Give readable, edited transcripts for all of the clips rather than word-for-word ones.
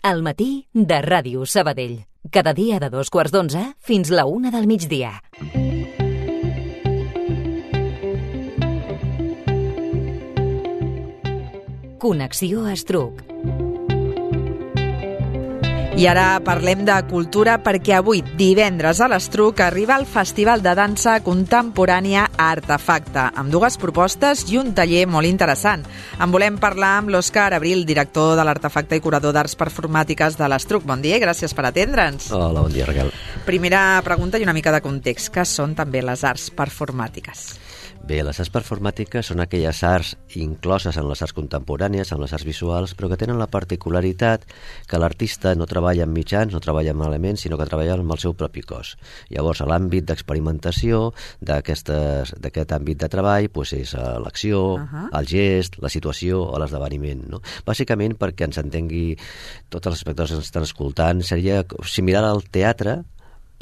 Al matí de Ràdio Sabadell. Cada dia de 2:15 fins la 1 del migdia. Connexió Estruc. I ara parlem de cultura perquè avui, divendres a l'Estruc, arriba el Festival de Dansa Contemporània Artefacte, amb dues propostes i un taller molt interessant. En volem parlar amb l'Òscar Abril, director de l'Artefacte i curador d'arts performàtiques de l'Estruc. Bon dia i gràcies per atendre'ns. Hola, bon dia, Raquel. Primera pregunta i una mica de context. Què són també les arts performàtiques? Bé, les arts performàtiques són aquelles arts incloses en les arts contemporànies, en les arts visuals, però que tenen la particularitat que l'artista no treballa amb mitjans, no treballa amb elements, sinó que treballa amb el seu propi cos. Llavors, a l'àmbit d'experimentació d'aquest àmbit de treball és l'acció, el gest, la situació o l'esdeveniment. No? Bàsicament, perquè ens entengui tots els espectadors que ens estan escoltant, seria similar al teatre,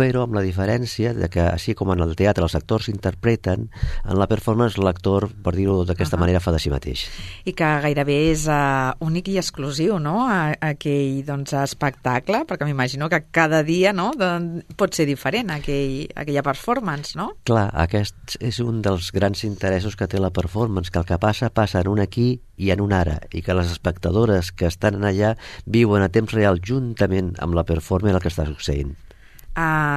però amb la diferència de que, així com en el teatre els actors interpreten, en la performance l'actor, per dir-ho d'aquesta manera, fa de si mateix. I que gairebé és únic i exclusiu, no?, aquell espectacle, perquè m'imagino que cada dia pot ser diferent aquella performance, no? Clar, aquest és un dels grans interessos que té la performance, que el que passa en un aquí i en un ara, i que les espectadores que estan allà viuen a temps real juntament amb la performance el que està succeint.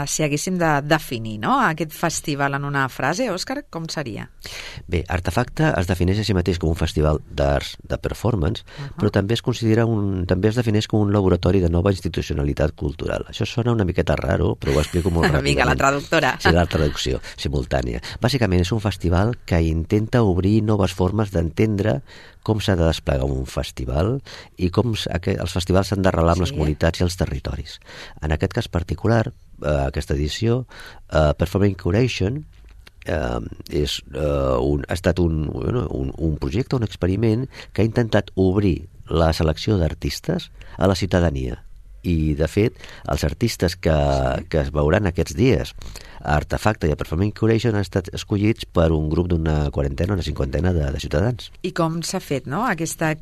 Si haguéssim de definir aquest festival en una frase, Òscar, com seria? Bé, Artefacte es defineix a si mateix com un festival d'arts de performance, però també es defineix com un laboratori de nova institucionalitat cultural. Això sona una miqueta raro, però ho explico molt ràpidament. Vinga, la traductora. Sí, la traducció simultània. Bàsicament és un festival que intenta obrir noves formes d'entendre com s'ha de desplegar un festival i com els festivals s'han d'arrelar amb les comunitats i els territoris. En aquest cas particular, aquesta edició, Performing Curation, ha estat un projecte, un experiment que ha intentat obrir la selecció d'artistes a la ciutadania. I, de fet, els artistes que es veuran aquests dies a Artefacte i a Performing Curation han estat escollits per un grup d'una quarantena, una cinquantena de ciutadans. I com s'ha fet, aquesta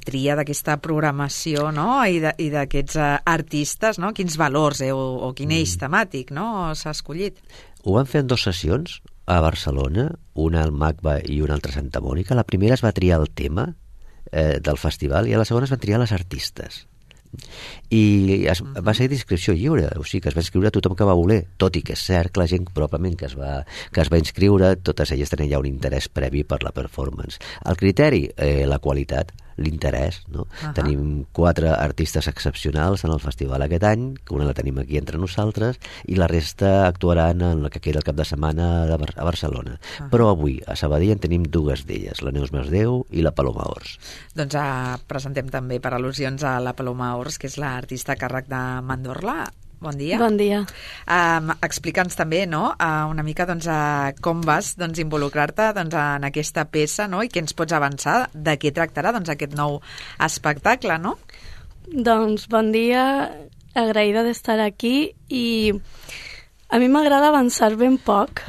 tria d'aquesta programació i d'aquests artistes, quins valors o quin eix temàtic s'ha escollit? Ho van fer en 2 sessions a Barcelona, una al MACBA i una altra a Santa Mònica. La primera es va triar el tema del festival i a la segona es van triar les artistes. I va ser d'inscripció lliure, o sigui que es va inscriure tothom que va voler, tot i que és cert que la gent probablement que es va inscriure, totes elles tenen ja un interès previ per la performance. El criteri, la qualitat, l'interès, no? Tenim 4 artistes excepcionals en el festival aquest any, que una la tenim aquí entre nosaltres, i la resta actuaran en el que queda el cap de setmana a Barcelona. Però avui, a Sabadell, en tenim 2 d'elles, la Neus Masdeu i la Paloma Ors. Doncs presentem també per al·lusions a la Paloma Ors, que és l'artista a càrrec de Mandorla. Bon dia. Bon dia. Explica'ns també una mica com vas involucrar-te en aquesta peça i què ens pots avançar, de què tractarà aquest nou espectacle, no? Doncs bon dia, agraïda d'estar aquí i a mi m'agrada avançar ben poc.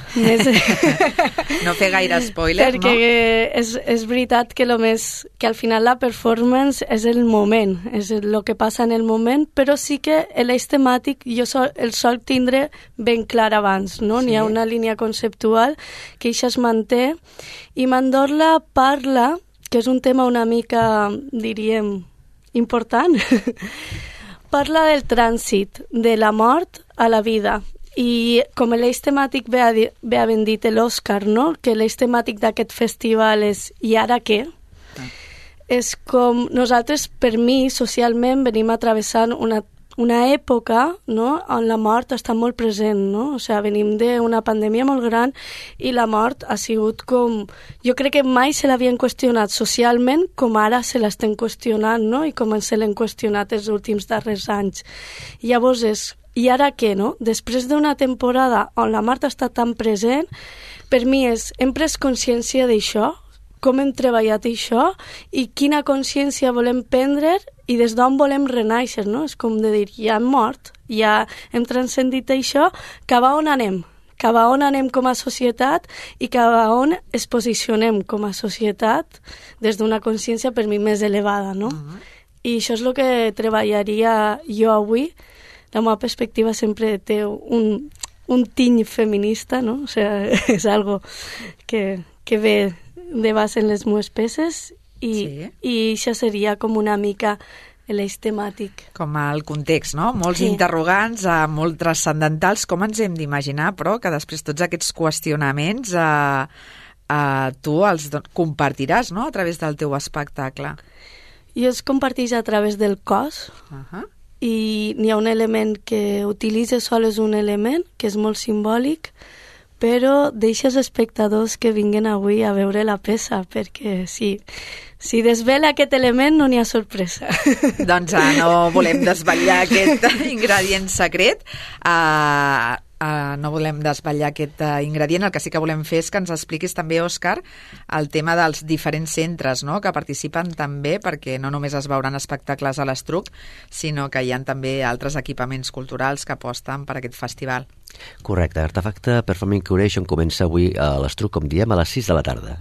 No fer gaire spoiler, perquè és veritat que al final la performance és el moment, és el que passa en el moment, però sí que l'eix temàtic jo el sol tindre ben clar abans, no? Sí. N'hi ha una línia conceptual que això es manté i Mandorla parla, que és un tema una mica, diríem, important, parla del trànsit de la mort a la vida. I com l'eix temàtic bé ha ben dit l'Òscar, no? Que l'eix temàtic d'aquest festival és «I ara què?». És com nosaltres, per mi, socialment, venim atravessant una època, no?, on la mort està molt present, no? O sigui, venim d'una pandèmia molt gran i la mort ha sigut com... Jo crec que mai se l'havien qüestionat socialment com ara se l'estem qüestionant, no?, i com se l'hem qüestionat els últims darrers anys. Llavors I ara què, no? Després d'una temporada on la mort està tan present, per mi hem pres consciència d'això, com hem treballat això i quina consciència volem prendre i des d'on volem renaixer, no? És com de dir, ja hem mort, ja hem transcendit això, cap a on anem? Cap a on anem com a societat i cap a on es posicionem com a societat des d'una consciència per mi més elevada, no? I això és el que treballaria jo avui. La meva perspectiva sempre té un tiny feminista, no? O sigui, és algo que ve de base en les meves peces i això seria com una mica l'eix temàtic. Com el context, no? Molts interrogants, molt transcendentals. Com ens hem d'imaginar, però, que després tots aquests qüestionaments tu els compartiràs, no?, a través del teu espectacle. Jo els comparteix a través del cos, i n'hi ha un element que utilitza sol, és un element que és molt simbòlic, però deixa els espectadors que vinguin avui a veure la peça, perquè si desvela aquest element no n'hi ha sorpresa. Doncs no volem desvetllar aquest ingredient secret, no volem desvetllar aquest ingredient. El que sí que volem fer és que ens expliquis també, Òscar, el tema dels diferents centres, no?, que participen també, perquè no només es veuran espectacles a l'Estruc, sinó que hi ha també altres equipaments culturals que aposten per aquest festival. Correcte. Artefacte Performing Curation comença avui a l'Estruc, com diem, a les 6 de la tarda.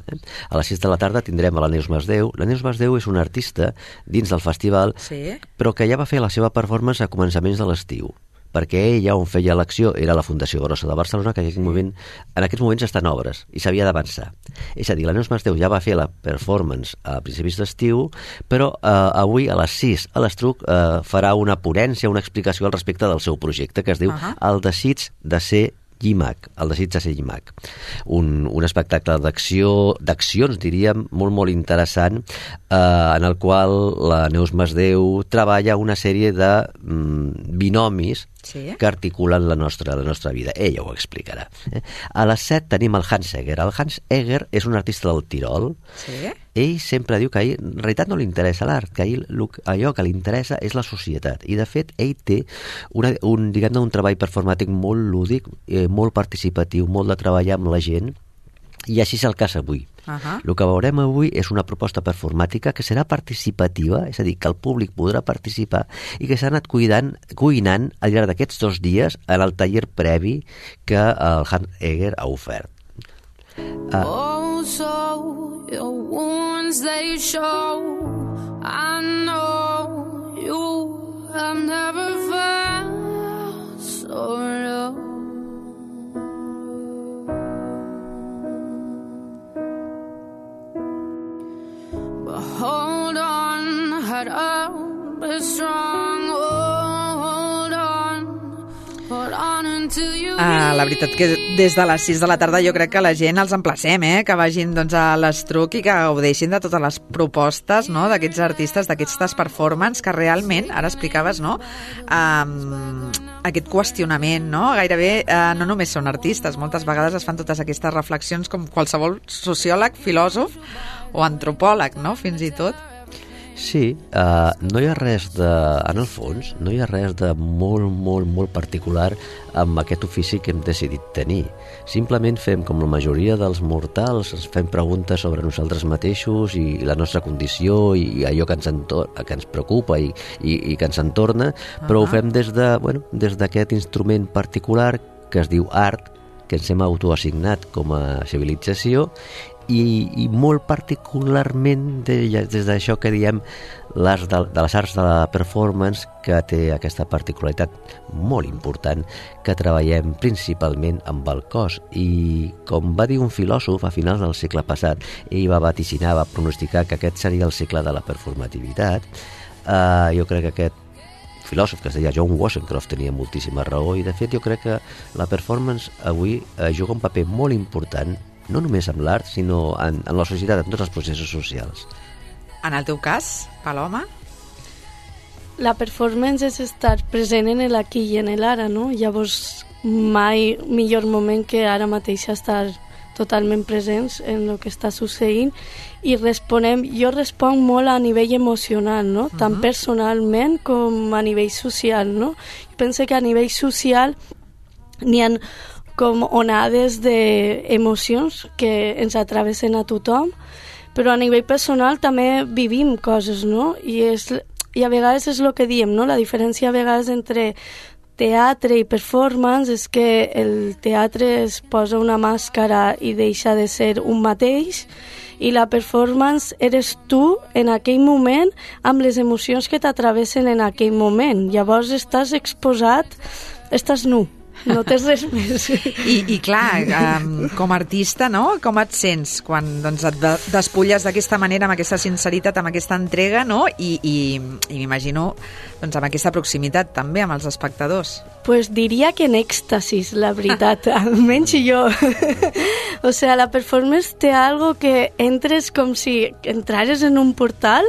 A les 6 de la tarda tindrem a la Neus Masdeu. La Neus Masdeu és una artista dins del festival, però que ja va fer la seva performance a començaments de l'estiu, perquè ell ja on feia l'acció era la Fundació Grossa de Barcelona, que en aquests moments està en obres i s'havia d'avançar. És a dir, la Neus Masdeu ja va fer la performance a principis d'estiu, però avui a les 6 a l'Estruc farà una ponència, una explicació al respecte del seu projecte, que es diu El desig de ser Llimac, el desig de ser Llimac. Un espectacle d'accions, diríem, molt interessant, en el qual la Neus Masdeu treballa una sèrie de binomis que articulen la nostra vida. Ella ho explicarà. A les 7 tenim el Hans Egger. El Hans Egger és un artista del Tirol. Ell sempre diu que a ell en realitat no li interessa l'art, que a ell allò que li interessa és la societat. I de fet ell té un treball performàtic molt lúdic, molt participatiu, molt de treballar amb la gent, i així és el cas avui. El que veurem avui és una proposta performàtica que serà participativa, és a dir, que el públic podrà participar i que s'ha anat cuinant al llarg d'aquests 2 dies en el taller previ que el Hans Egger ha ofert. Oh, so your wounds they show, I know you have never felt so low. Hold on, head up, be strong, hold on until you... La veritat que des de les 6 de la tarda jo crec que la gent els emplacem, que vagin a l'Estruc i que gaudeixin de totes les propostes, no?, d'aquests artistes, d'aquestes performances que realment, ara explicaves, no?, aquest qüestionament, no? Gairebé no només són artistes, moltes vegades es fan totes aquestes reflexions com qualsevol sociòleg, filòsof o antropòleg, no?, fins i tot. Sí, no hi ha res en el fons, no hi ha res de molt particular amb aquest ofici que hem decidit tenir. Simplement fem com la majoria dels mortals, ens fem preguntes sobre nosaltres mateixos i la nostra condició i allò que ens preocupa i que ens entorna, però ho fem des d'aquest instrument particular que es diu art, que ens hem autoassignat com a civilització, i molt particularment des d'això que diem de les arts de la performance, que té aquesta particularitat molt important, que treballem principalment amb el cos. I com va dir un filòsof a finals del segle passat, ell va vaticinar, va pronosticar que aquest seria el segle de la performativitat. Jo crec que aquest filòsof, que es deia John Wozencroft, tenia moltíssima raó, i de fet jo crec que la performance avui juga un paper molt important, no només amb l'art, sinó en la societat, en tots els processos socials. En el teu cas, Paloma? La performance és estar present en l'aquí i en l'ara, no? Llavors, mai millor moment que ara mateix estar totalment presents en el que està succeint i jo responc molt a nivell emocional, no? Tant personalment com a nivell social, no? Jo penso que a nivell social n'hi ha com onades d'emocions que ens travessen a tothom, però a nivell personal també vivim coses, no? I a vegades és el que diem, no? La diferència a vegades entre teatre i performance és que el teatre es posa una màscara i deixa de ser un mateix, i la performance eres tu en aquell moment amb les emocions que t'atravessen en aquell moment. Llavors estàs exposat, estàs nu. No tens res més. I clar, com a artista, no? Com et sents quan doncs, et despulles d'aquesta manera, amb aquesta sinceritat, amb aquesta entrega, no? I m'imagino doncs, amb aquesta proximitat també amb els espectadors. Pues diria que en èxtasis, la veritat, almenys jo. O sea, la performance té algo que entres com si entrares en un portal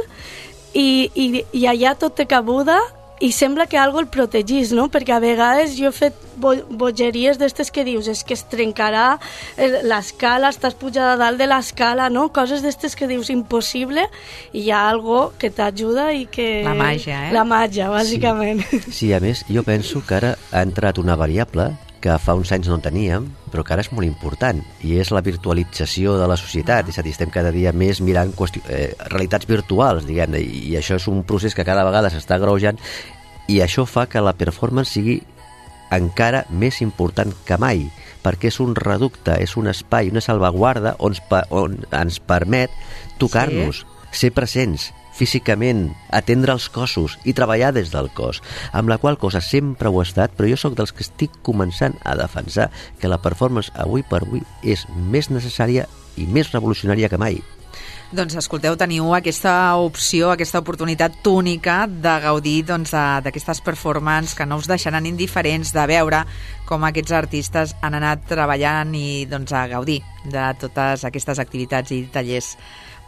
i allà tot té cabuda, i sembla que algo el protegís, no? Perquè a vegades jo he fet bogeries d'estes que dius, és que es trencarà l'escala, estàs pujada a dalt de l'escala, no? Coses d'estes que dius impossible, i hi ha algo que t'ajuda i que... La màgia, La màgia, bàsicament. Sí, a més, jo penso que ara ha entrat una variable que fa uns anys no teníem, però que ara és molt important, i és la virtualització de la societat. És a dir, estem cada dia més mirant realitats virtuals, diguem-ne, i això és un procés que cada vegada s'està agreujant, i això fa que la performance sigui encara més important que mai, perquè és un reducte, és un espai, una salvaguarda on ens permet tocar-nos, ser presents, físicament, atendre els cossos i treballar des del cos, amb la qual cosa sempre ho he estat, però jo sóc dels que estic començant a defensar que la performance avui per avui és més necessària i més revolucionària que mai. Doncs escolteu, teniu aquesta opció, aquesta oportunitat única de gaudir doncs, d'aquestes performances que no us deixaran indiferents, de veure com aquests artistes han anat treballant i doncs, a gaudir de totes aquestes activitats i tallers.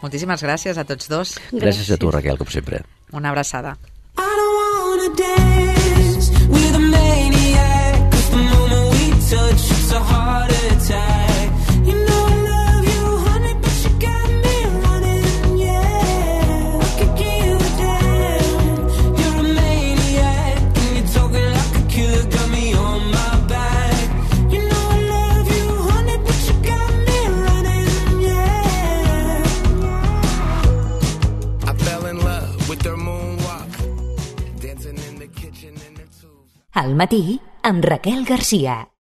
Moltíssimes gràcies a tots dos. Gràcies a tu, Raquel, com sempre. Una abraçada. I don't wanna dance with a maniac, 'cause the moment we touch, it's a heart attack. You know I love you, honey, but you got me running, yeah. I could give a damn. You're a maniac, and you're talking like a killer, got me on my back. You know I love you, honey, but you got me running, yeah. I fell in love with their moonwalk, dancing in the kitchen in their tubes. Al matí, amb Raquel Garcia.